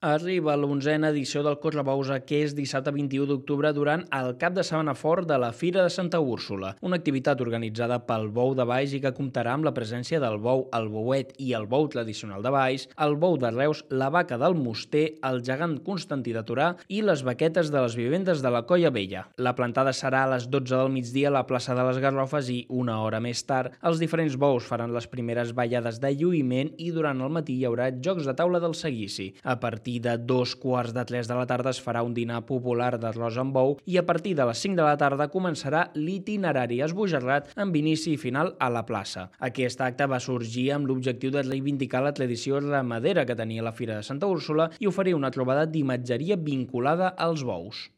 Arriba l'11a edició del Correbous que és dissabte 21 d'octubre durant el cap de setmana fort de la Fira de Santa Úrsula, una activitat organitzada pel Bou de Baix i que comptarà amb la presència del bou, el bouet i el bou tradicional de Baix, el bou de Reus, la vaca del Muster, el gegant Constantí de Torà i les vaquetes de les vivendes de la Colla Vella. La plantada serà a les 12 del migdia a la plaça de les Garrofes i, una hora més tard, els diferents bous faran les primeres ballades de lluïment i durant el matí hi haurà jocs de taula del seguici. A partir de 2:15 de la tarda es farà un dinar popular d'arròs amb bou i a partir de les 5 de la tarda començarà l'itinerari esbojarrat amb inici i final a la plaça. Aquest acte va sorgir amb l'objectiu de reivindicar la tradició ramadera que tenia la Fira de Santa Úrsula i oferir una trobada d'imatgeria vinculada als bous.